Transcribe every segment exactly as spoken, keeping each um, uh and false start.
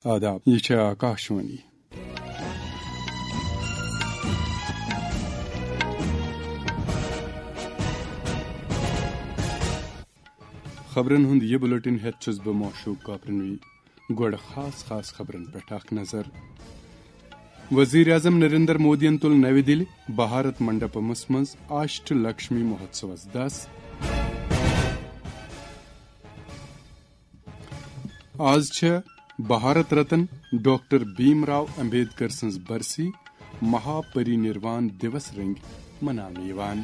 آداب، یہِ چھےٚ آکاشوانی۔ خبرن ہُنٛد یہِ بُلٹن ہٮ۪تھ چھُس بہٕ معشوق کاپرنوی۔ گۄڈٕ خاص خاص خبرن پٮ۪ٹھ اکھ نظر۔ وزیر اعظم نریندر مودیَن تُل نَوِ دِلہِ بھارت منڈپمس منٛز آشٹ لکشمی مہوتسوس دَس۔ آز چھےٚ بھارت رتن ڈاکٹر بھیم راو امبیڈکر سٕنٛز برسی، مہا پری نروان دیوس رنگۍ مناونہٕ یِوان۔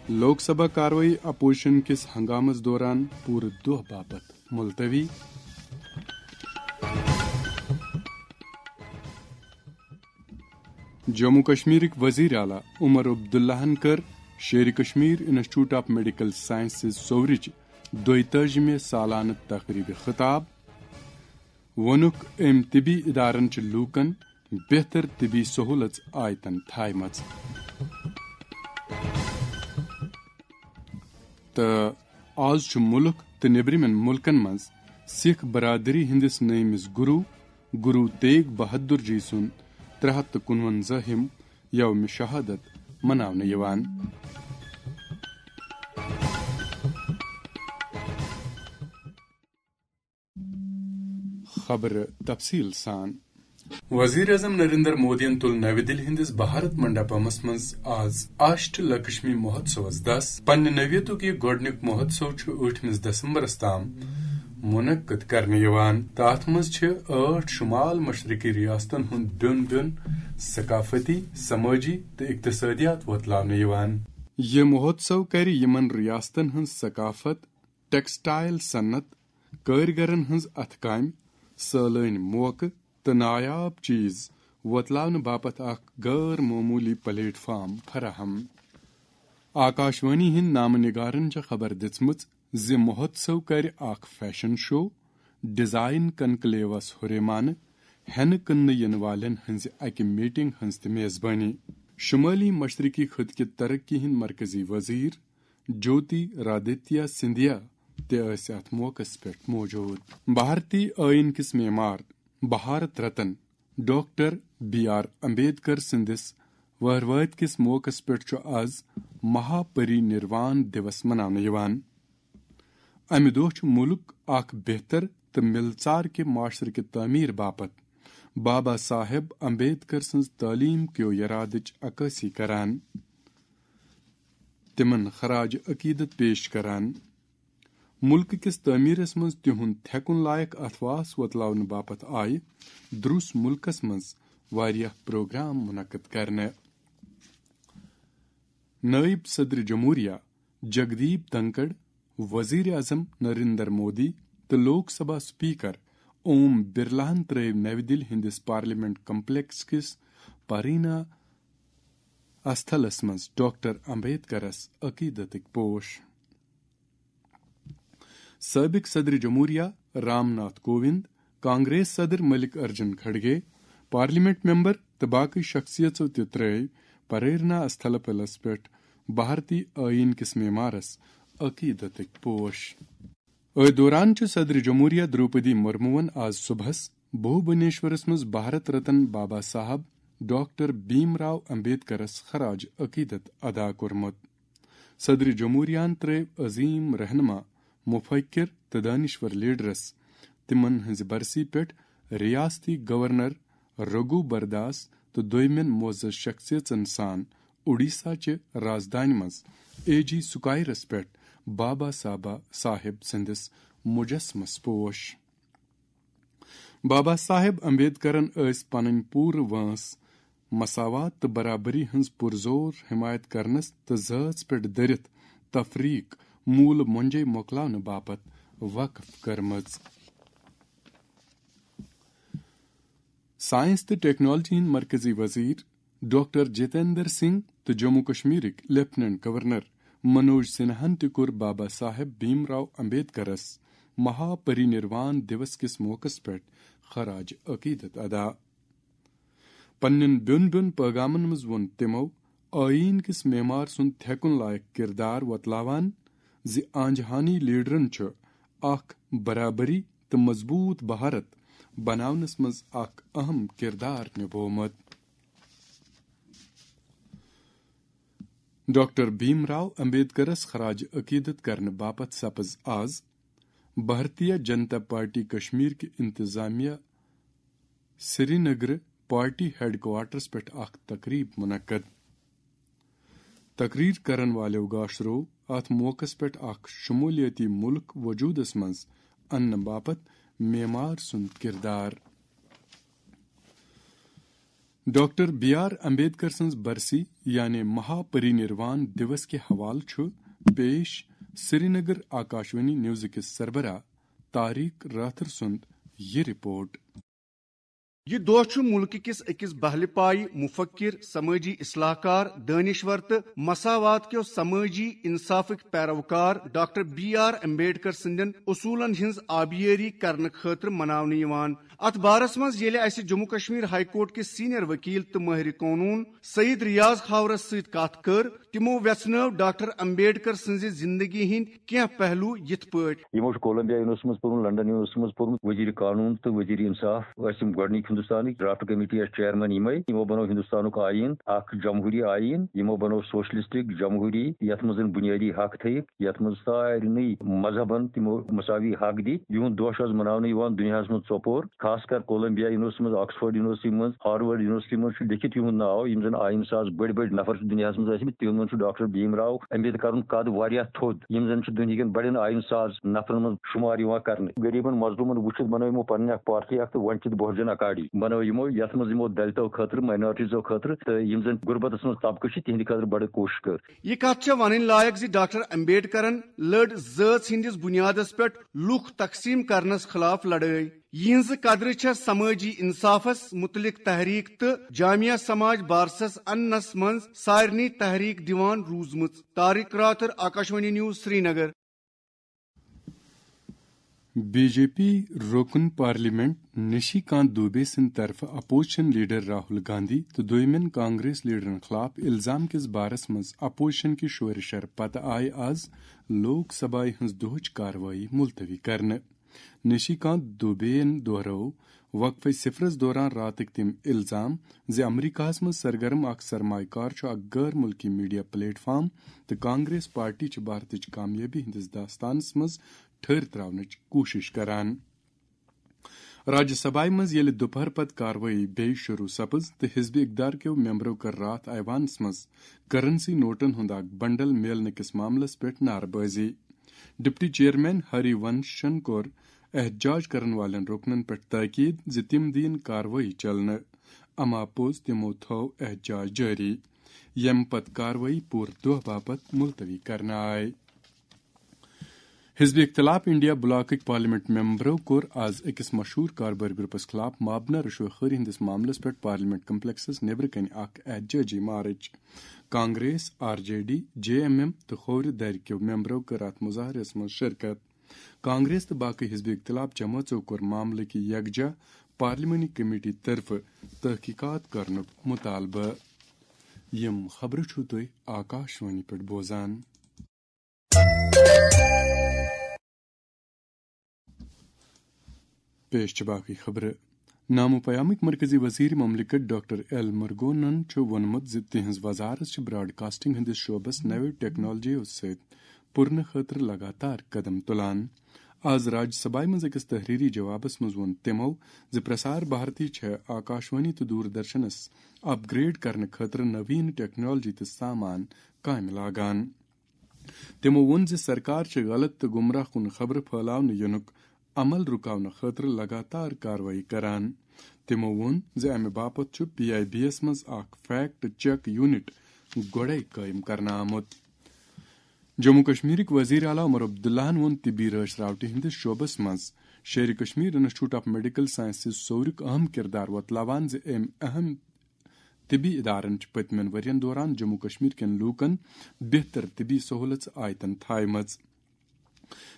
لوک سبھا کاروٲیی اپوزیشن کِس ہنگامس دوران پوٗرٕ دۄہ باپتھ ملتوی۔ جموں کشمیرٕکۍ وزیر اعلیٰ عمر عبداللہن کٔر Sheri Kashmir institute of medical sciences سورٕچ دۄیتٲجِمہِ سالانہٕ تقریبہِ خطاب۔ ووٚنُکھ، أمۍ طبی ادارن چھِ لوٗکن بہتر طبی سہولژ آیتن تھایمژ۔ تہٕ آز چھُ مُلک تہٕ نیٚبرِمٮ۪ن مُلکن منٛز سِکھ برادری ہٕنٛدِس نٔیمِس گُروٗ، گُروٗ تیگ بہادُر جی سُنٛد ترٛےٚ ہَتھ تہٕ کُنوَنزاہِم یومِ شہادت مناونہٕ یِوان۔ خبرٕ تفصیٖل سان۔ وزیر اعظم نریندر مودیَن تُل نَوِ دِلہِ ہٕنٛدِس بھارت منڈپمس منٛز آز آشٹ لکشمی مہوتسوس دَس۔ پننہِ نوعیتُک یہِ گۄڈٕنیُک مہوتسو چھُ ٲٹھمِس دسمبرس تام منعقد کرنہٕ یِوان۔ تہٕ اَتھ منٛز چھِ ٲٹھ شمال مشرقی ریاستن ہُنٛد بیوٚن بیوٚن ثقافتی، سمٲجی تہٕ اقتصٲدیات وۄتلاونہٕ یِوان۔ یہِ مہوتسو کرِ یِمن ریاستن ہٕنٛز ثقافت، ٹیکسٹائل صنعت، کٲرۍگرن ہٕنٛز اَتھٕ کامہِ، سٲلٲنۍ موقعہٕ تہٕ نایاب چیز وۄتلاونہٕ باپتھ اکھ غٲر معموٗلی پلیٹ فارم فراہم۔ آکاشوانی ہٕنٛدۍ نامہٕ نگارن چھےٚ خبر دِژمٕژ زِ مہوتسو کرِ اکھ فیشن شو، ڈیزائن کنکلیوس ہُریمانہٕ، ہٮ۪نہٕ کٕننہٕ یِنہٕ والٮ۪ن ہٕنٛزِ اکہِ میٹنگ ہٕنٛز تہِ میزبٲنی۔ شمٲلی مشرقی خطہٕ کہِ ترقی ہٕنٛدۍ مرکزی وزیر جوتی رادتیہ سندھیا تہِ ٲسۍ اَتھ موقعس پٮ۪ٹھ موجود۔ بھارتی ٲیٖن کِس معمار Bharat Ratna doctor B R Ambedkar سٕنٛدِس وہروٲتۍ کِس موقعس پٮ۪ٹھ چھُ آز مہا پری نروان دیوس مناونہٕ یِوان۔ امہِ دۄہ چھُ مُلک اکھ بہتر تہٕ مِلژار کہِ معاشرٕ کہِ تعمیٖر باپتھ بابا صاحب امبیڈکر سٕنٛز تعلیٖم کیو یرادٕچ عکٲسی کران۔ تِمن خراج عقیدت پیش کران۔ مُلکہٕ کِس تعمیٖرس منٛز تِہُنٛد تھٮ۪کُن لایق اَتھواس وۄتلاونہٕ باپتھ آیہِ دروس مُلکس منٛز واریاہ پروگرام منعقد کرنہٕ۔ نٲیِب صدر جمہوریہ جگدیپ دھنکڑ، وزیر اعظم نریندر مودی تہٕ لوک سبھا اسپیکر اوم برلاہن ترٲوۍ نَوِ دِلہِ ہٕنٛدِس پارلیمنٹ کمپلیکس کِس پرینا استھلس منٛز ڈاکٹر امبیڈکرس عقیدتٕکۍ پوش۔ سٲبِق صدر جمہوریہ رام ناتھ کووند، کانگریس صدر ملک ارجن کھڑگے، پارلیمنٹ ممبر تہٕ باقٕے شخصیژو تہِ ترٲوۍ پریرنا استھل پلس پٮ۪ٹھ بھارتی آئین کِس معمارس عقیدتٕکۍ پوش۔ أتھۍ دوران چھُ صدر جمہوریہ دروپدی مرموَن آز صبحس بھوبنیشورس منٛز بھارت رتن بابا صاحب ڈاکٹر بھیم راو امبیڈکرس خراج عقیدت ادا کوٚرمُت۔ صدر جمہوریہن ترٲوۍ عظیم رہنما، مفکر تہٕ دانشور لیڈرس تِمن ہٕنٛزِ برسی پٮ۪ٹھ ریاستی گورنر رگھو برداس تہٕ دویمٮ۪ن معزز شخصیژن سان اوڈیشہ چہِ رازدانہِ منٛز اے جی سکوائرس پٮ۪ٹھ بابا صاحبہ صاحب سٕنٛدِس مجسمس پوش۔ بابا صاحب امبیڈکرن ٲس پنٕنۍ پوٗرٕ وٲنٛس مساوات تہٕ برابری ہٕنٛز پُرزور حمایت کرنس تہٕ ذٲژ پٮ۪ٹھ دٔرِتھ تفریق مول مۄنجے مۄکلاونہٕ باپتھ وقف کٔرمٕژ۔ ساینس تہٕ ٹیکنالوجی ہٕنٛدۍ مرکزی وزیر ڈاکٹر جتیندر سنگھ تہٕ جموں کشمیرٕکۍ لیفٹیننٹ گورنر منوج سنہاہن تہِ کوٚر بابا صاحب بھیم راو امبیڈکرس مہا پری نروان دیوس کِس موقعس پٮ۪ٹھ خراج عقیدت ادا۔ پننٮ۪ن بیوٚن بیوٚن پیغامن منٛز ووٚن تِمو آئین کِس معمار سُنٛد تھٮ۪کُن لایق کردار وۄتلاوان زِ آنجہانی لیڈرن چھُ اکھ برابری تہٕ مضبوٗط بھارت بناونس منٛز اکھ اہم کردار نبوومت۔ ڈاکٹر بھیم راو امبیڈکرس خراج عقیدت کرنہٕ باپتھ سپز آز بھارتیہ جنتا پارٹی کشمیر کہِ انتظامیہ سرینگر پارٹی ہیڈ کوارٹرس پٮ۪ٹھ اکھ تقریب منعقد۔ تقریر کرن والٮ۪و گاشرو اتھ موقعس پٮ۪ٹھ اکھ شمولیتی ملک وجودس منٛز اننہٕ باپتھ معمار سُنٛد کردار۔ ڈاکٹر بی آر امبیڈکر سٕنٛز برسی یعنی مہا پری نروان دیوس کہِ حوالہٕ چھُ پیش سرینگر آکاشوانی نیوزٕ کِس سربراہ طارق راتھر سُنٛد یہِ رپورٹ۔ یہِ دۄہ چھُ مُلکہٕ کِس أکِس بہلہِ پایہِ مُفکِر، سمٲجی اصلاح کار، دٲنِشور تہٕ مساوات کیو سمٲجی انصافٕکۍ پیروکار ڈاکٹر بی آر امبیڈکر سٕنٛدٮ۪ن اصوٗلن ہٕنٛز آبیٲری کرنہٕ خٲطرٕ مناونہٕ یِوان۔ اتھ بارس منٛز ییٚلہِ اسہِ جموں کشمیر ہائی کورٹ کِس سینئر وکیل تہٕ مٲہرِ قونوٗن سعید ریاض کھاورس سۭتۍ کتھ کٔر، تِمو ویژھنٲو ڈاکٹر امبیڈکر سٕنٛزِ زندگی ہٕنٛدۍ کینٛہہ پہلو یِتھ پٲٹھۍ۔ یِمو چھُ کولمبیا یونیورسٹی منٛز پوٚرمُت، لندن یونیورسٹی منٛز پوٚرمُت، وزیر قانون تہٕ وزیر انصاف ٲسۍ یِم گۄڈٕنِکۍ ہندوستانٕکۍ۔ ڈرافٹ کمیٹی ٲسۍ چیئرمین یِمے۔ یِمو بنوو ہندوستانُک آئین اکھ جمہوری آئین، یِمو بنوو سوشلسٹک جمہوری، یتھ منٛز زن بنیٲدی حق تھٲیِکھ، یتھ منٛز سارنٕے مذہبن تِمو مساوی حق دِتۍ۔ یِہُنٛد دۄہ چھُ آز مناونہٕ یِوان دُنیاہس منٛز ژۄپور، خاص کر کولمبیا یونیورسٹی منٛز، آکسفورڈ یونیورسٹی منٛز، ہارورڈ یونیورسٹی منٛز چھُ لیکھِتھ یِہُنٛد ناو، یِم زن آئین ساز بٔڑۍ بٔڑۍ نفر چھِ دُنیاہس منٛز ٲسمٕتۍ، تِمن منٛز چھُ ڈاکٹر بھیم راو امبیڈکرُن قد واریاہ تھوٚد، یِم زن چھِ دُنہِکٮ۪ن بڑٮ۪ن آئین ساز نفرن منٛز شمار یِوان کرنہٕ۔ غریبن مظلومن وٕچھِتھ بنٲو یِمو پنٕنۍ اکھ پارٹی اکھ تہٕ ونچت بہوجن اکاڈی بنٲو یِمو، یتھ منٛز یِمو دلتو خٲطرٕ، مائنارٹیزو خٲطرٕ تہٕ یِم زن غربتس منٛز طبقہٕ چھِ، تِہنٛدِ خٲطرٕ بڑٕ کوٗشش کٔر۔ یہِ کتھ چھےٚ ونٕنۍ لایق زِ ڈاکٹر امبیڈکرن لٔڑ زٲژ ہٕنٛدِس بنیادس پٮ۪ٹھ لوٗکھ تقسیٖم کرنس خلاف لڑٲے۔ یِہنٛزٕ قدرٕ چھےٚ سمٲجی انصافس متعلق تحریک تہٕ جامعہ سماج بارسس اننس منٛز سارنٕے تحریک دِوان روٗزمٕژ۔ Tariq Rather, Akashvani news, Srinagar. B J P رکن پارلیمنٹ نشی کانت دوبے سٕنٛدِ طرفہٕ اپوزیشن لیڈر راہل گاندھی تہٕ دویمٮ۪ن کانگریس لیڈرن خلاف الزام کِس بارس منٛز اپوزیشن کہِ شورِ شر پتہٕ آیہِ آز لوک سبھایہِ ہٕنٛز دۄہٕچ کاروٲیی ملتوی کرنہٕ۔ نشی کانت دوبے یَن دۄہرٲو وقفے صفرس دوران راتٕکۍ تِم الزام زِ امریکہس منٛز سرگرم اکھ سرمایہ کار چھُ اکھ غٲر ملکی میڈیا پلیٹ فارم تہٕ کانگریس پارٹی چھِ بھارتٕچ کامیٲبی ہٕنٛدِس داستانس منٛز ٹھٔہر تراونٕچ کوٗشش کران۔ راجیہ سبھایہ منٛز ییٚلہِ دُپہر پتہٕ کاروٲیی بیٚیہِ شروع سپٕز تہٕ حزب اقدار کیو ممبرو کٔر راتھ ایوانس منٛز کرنسی نوٹن ہُنٛد اکھ بنڈل میلنہٕ کِس معاملس پٮ۪ٹھ نعرٕ بٲزی۔ ڈپٹی چیئرمین ہری ونشن کوٚر احتجاج کرن والٮ۪ن رُکنن پٮ۪ٹھ تاکید زِ تِم دِیِن کاروٲیی چلنہٕ، اما پوٚز تِمو تھٲو احتجاج جٲری، ییٚمہِ پتہٕ کاروٲیی پوٗرٕ دۄہ باپتھ ملتوی کرنہٕ آیہِ۔ حزب اختلاف انڈیا بلاکٕکۍ پارلیمنٹ ممبرو کوٚر آز أکِس مشہوٗر کاربٲرۍ گروپس خلاف مابنہ رشوت خوری ہٕنٛدِس معاملس پٮ۪ٹھ پارلیمنٹ کمپلیکسس نیبرٕ کنہِ اکھ احتجاجی مارچ۔ Congress, R J D, J M M تہٕ کھوورِ دَرِ کیو ممبرو کٔر اتھ مظاہرس منٛز شرکت۔ کانگریس تہٕ باقی حزب اختلاف جمٲژو کوٚر معاملہٕ کہِ یکجا پارلیمانی کمیٹی طرفہٕ تحقیقات کرنُک مطالبہٕ۔ یِم خبرٕ چھِو تُہۍ آکاشوانی پٮ۪ٹھ بوزان۔ پیش چھِ باقٕے خبرٕ۔ نامو پیامٕکۍ مرکزی وزیر مملکت ڈاکٹر ایل مرگونن چھُ ووٚنمُت زِ تِہنٛز وزارت چھِ براڈ کاسٹنگ ہٕنٛدِس شعبس نوِ ٹیکنالوجیو سۭتۍ پُرنہٕ خٲطرٕ لگاتار قدم تُلان۔ آز راجیہ سبھایہ منٛز أکِس تحریری جوابس منٛز ووٚن تِمو زِ پرسار بھارتی چھےٚ آکاشوانی تہٕ دوردرشنس اپ گریڈ کرنہٕ خٲطرٕ نوین ٹیکنالوجی تہٕ سامان کامہِ لاگان۔ تِمو ووٚن زِ سرکار چھِ غلط تہٕ گمراہ کُن خبرٕ پھٲلاونہٕ یِنُک عمل رُکاونہٕ خٲطرٕ لگاتار کاروٲیی کران۔ تِمو ووٚن زِ امہِ باپتھ چھُ پی آئی بی یَس منٛز اکھ فیکٹ چیک یونٹ گۄڈَے قٲیِم کرنہٕ آمُت۔ جموں کشمیرٕکۍ وزیر اعلیٰ عمر عبداللہَن ووٚن طبی رٲچھ راوٹہِ ہٕنٛدِس شعبس منٛز Sheri Kashmir institute of medical sciences سورُک اہم کردار وۄتلاوان زِ أمۍ اہم طبی ادارن چھِ پٔتمٮ۪ن ؤرین دوران جموں کشمیر کٮ۪ن لوٗکن بہتر طبی سہولژٕ آیتن تھایمژٕ۔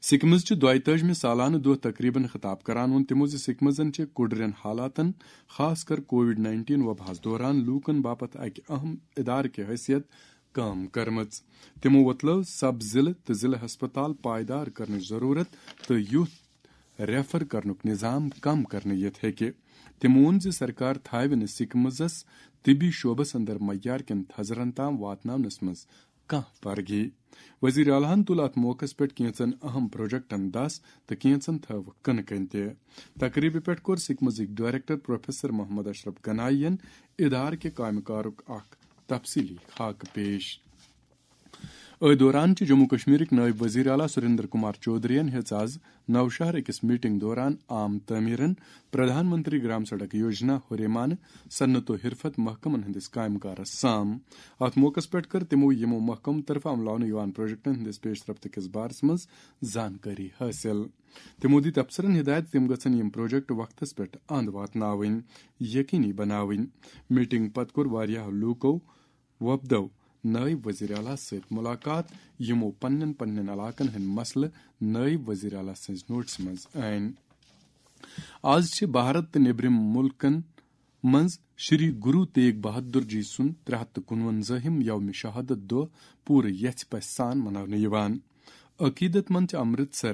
سکمز چہِ دۄیتٲجمہِ سالانہٕ دۄہ تقریبن خطاب کران ووٚن تِمو زِ سکمزن چھِ کُڑرٮ۪ن حالاتن، خاص کر کووڈ نائنٹین وباہس دوران لوٗکن باپتھ اکہِ اہم ادارٕ کہِ حیثیت کٲم کٔرمٕژ۔ تِمو وۄتلٲو سب ضلعہٕ تہٕ ضلعہٕ ہسپتال پائیدار کرنٕچ ضروٗرت تہٕ یُتھ ریفر کرنُک نظام کم کرنہٕ یِتھ ہیٚکہِ۔ تٔمۍ ووٚن زِ سرکار تھاوِ نہٕ سکمزس طبی شعبس اندر معیار کٮ۪ن تھزرن تام واتناونس منٛز کانٛہہ پرگی۔ وزیر اعلیٰ ہن تُل اتھ موقعس پٮ۪ٹھ کینٛژن اہم پروجیکٹن دس تہٕ کینٛژن تھٲوکھ کٕنہٕ کنہِ تہِ۔ تقریبہِ پٮ۪ٹھ کوٚر سکمزٕکۍ ڈائریکٹر پروفیسر محمد اشرف گنایی ین ادارٕ کہِ کامہِ کارُک اکھ تفصیلی خاکہٕ پیش۔ أتھۍ دوران چھِ جموں کشمیرٕکۍ نٲیِب وزیر اعلیٰ سریندر کمار چودھرین ہیٚژ آز نوشہر أکِس میٹنگ دوران عام تعمیرن، پردھان منتری گرام سڑک یوجنا ہُریمانہٕ، صنعت و حرفت محکمن ہٕنٛدِس کامہِ کارس سام۔ اتھ موقعس پٮ۪ٹھ کٔر تِمو یِمو محکمہٕ طرفہٕ عملاونہٕ یِوان پروجیکٹن ہٕنٛدِس پیش رفت کِس بارس منٛز زانکٲری حٲصِل۔ تِمو دِتۍ افسرن ہدایت زِ تِم گژھن یِم پروجیکٹ وقتس پٮ۪ٹھ اند واتناوٕنۍ، یقینی بناوٕنۍ۔ میٹنگ پتہٕ کوٚر واریاہو لوٗکو وۄپدو نٲیِب وزیر اعلیٰ سۭتۍ مُلاقات، یِمو پننٮ۪ن پننٮ۪ن علاقن ہٕنٛدۍ مسلہٕ نٲیِب وزیر اعلیٰ سٕنٛزِ نوٹسہِ منٛز أنۍ۔ آز چھِ بھارت تہٕ نیٚبرِم مُلکن منٛز شری گرو تیگ بہادر جی سُنٛد ترٛےٚ ہَتھ تہٕ کُنوَنزٲہِم یوم شہادت دۄہ پوٗرٕ یژھِ پژھِ سان مناونہٕ یِوان۔ عقیدت مند چھِ امرتسر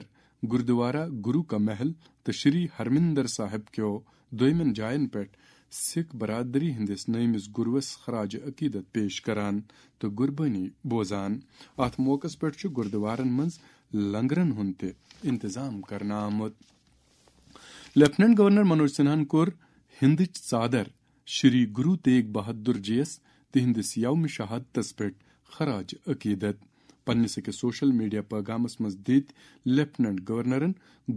گردوارہ گرو کا محل تہٕ شری ہرمندر صاحب کیو دویمٮ۪ن جاین پٮ۪ٹھ سکھ برادری ہٕنٛدِس نٔیمِس گروس خراج عقیدت پیش کران تہٕ قربٲنی بوزان۔ اتھ موقعس پٮ۪ٹھ چھُ گردوارن منٛز لنگرن ہُنٛد تہِ انتظام کرنہٕ آمُت۔ لیفٹیننٹ گورنر منوج سنہاہن کوٚر ہندٕچ ژادر شری گرو تیگ بہادر جی یس تہنٛدِس یوم شہادتس پٮ۪ٹھ خراج عقیدت۔ پننِس أکِس سوشل میڈیا پیغامس منٛز دِتۍ لیفٹیننٹ گورنرن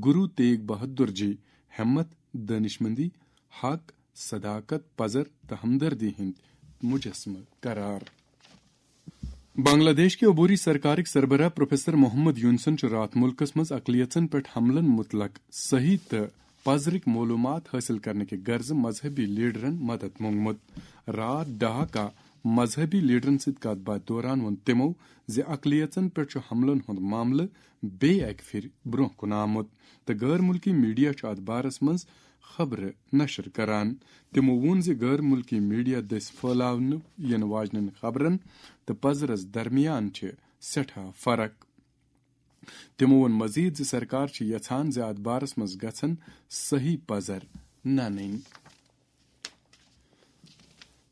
گرو تیگ بہادر جی ہمت، دانشمندی، حق، صداقت، پزر تہٕ ہمدردی ہٕنٛدۍ مجسمہٕ قرار۔ بنگلہ دیش کہِ عبوری سرکارٕکۍ سربراہ پروفیسر محمد یونسن چھُ راتھ مُلکس منٛز اقلیژن پٮ۪ٹھ حملن مُتعلق صحیح تہٕ پزرٕکۍ معلوٗمات حٲصِل کرنہٕ کہِ غرضہٕ مذہبی لیڈرن مدد مونگمُت۔ راتھ ڈھاکہ مذہبی لیڈرن سۭتۍ کتھ باتھ دوران ووٚن تِمو زِ اقلیژن پٮ۪ٹھ چھُ حملن ہُنٛد معاملہٕ بیٚیہِ اکہِ پھِرِ برٛونٛہہ کُن آمُت تہٕ غٲر مُلکی میڈیا چھُ اتھ بارس منٛز خبرٕ نشر کران۔ تِمو ووٚن زِ غٲر مُلکی میڈیا دٔسۍ پھٲلاونہٕ یِنہٕ واجنٮ۪ن خبرن تہٕ پزرس درمیان چھِ سٮ۪ٹھاہ فرق۔ تِمو ووٚن مزید زِ سرکار چھِ یژھان زِ اتھ بارس منٛز گژھن صحیح پزر ننٕنۍ۔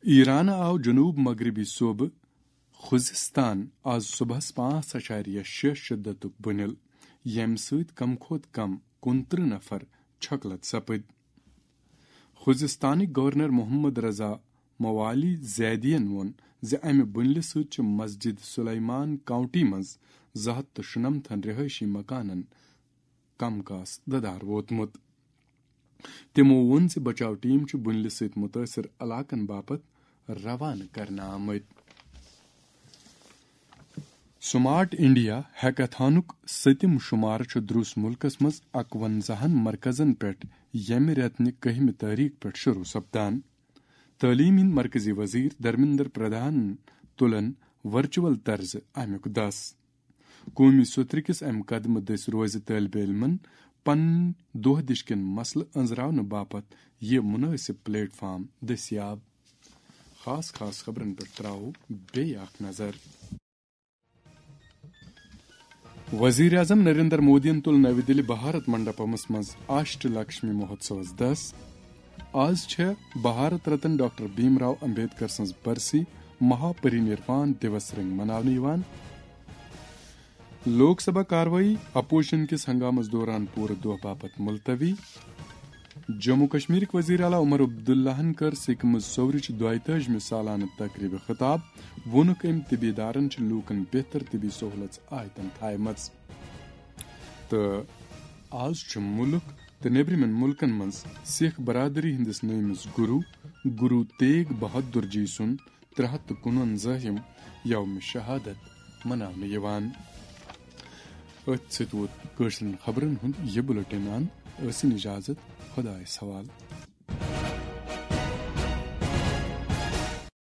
ایران آو جنوب مغربی صوبہٕ خوزستان آز صبحس پانٛژھ اعشاریہ شےٚ شدتُک بُنیل، ییٚمہِ سۭتۍ کم کھۄتہٕ کم کُنترٕہ نفر چھۄکلت سپٕدۍ۔ خوزستانٕکۍ گورنر محمد رضا موالی زیدین ووٚن زِ امہِ بُنلہِ سۭتۍ چھِ مسجد سلیمان کاؤنٹی منٛز زٕ ہتھ تہٕ شُنمتھن رہٲیشی مکانن کم کاس ددار ووتمُت۔ تِمو ووٚن زِ بچاو ٹیم چھِ بُنلہِ سۭتۍ مُتٲثر علاقن باپتھ روانہٕ کرنہٕ آمٕتۍ۔ سمارٹ انڈیا ہیکاتھانُک سٔتِم شمارٕ چھُ دروس مُلکس منٛز اکونزاہن مرکزن پٮ۪ٹھ ییٚمہِ رٮ۪تہٕ نہِ کٔہمہِ تٲریخ پٮ۪ٹھ شروع سپدان۔ تعلیٖم ہٕنٛدۍ مرکزی وزیر دھرمیندر پردھان تُلن ورچوئل طرزٕ امیُک دس۔ قومی سوترٕ کِس امہِ قدمہٕ دٔسۍ روزِ طٲلبہِ علمن پنٕنۍ دۄہ دِش کٮ۪ن مسلہٕ أنٛزراونہٕ باپتھ یہِ مُنٲسِب پلیٹ فارم دٔستیاب۔ خاص خاص خبرن پٮ۪ٹھ تراوو بیٚیہِ اکھ نظر۔ وزیر اعظم نریندر مودیَن تُل نَوِ دِلہِ بھارت منڈپمس منٛز اشٹ لکشمی مہوتسوس دس۔ آز چھےٚ بھارت رتن ڈاکٹر بھیم راو امبیڈکر سٕنٛز برسی، مہا پری نروان دیوس رنگۍ مناونہٕ یِوان۔ لوک سبھا کاروٲیی اپوزیشن کِس ہنگامس دوران پوٗرٕ دۄہ باپتھ ملتوی۔ جموں کشمیرٕکۍ وزیر اعلیٰ عمر عبداللہن کٔر سِکہِ منٛز سورٕچ دۄیتٲجمہِ سالانہٕ تقریبہِ خطاب۔ ووٚنُکھ، أمۍ طبی ادارن چھِ لوٗکن بہتر طبی سہولژ آیتن تھایمژ۔ تہٕ آز چھُ مُلک تہٕ نیبرِمٮ۪ن مُلکن منٛز سِکھ برادری ہٕنٛدِس نٔیمِس گُروٗ، گُروٗ تیگ بہادُر جی سُنٛد ترٛےٚ ہَتھ تہٕ کُنوَنزاہِم یوم شہادت مناونہٕ یِوان۔ أتھۍ سۭتۍ ووت کٲشرٮ۪ن خبرن ہُنٛد یہِ بُلٹن اند۔ ٲسِن اجازت، خۄدایس حوالہٕ۔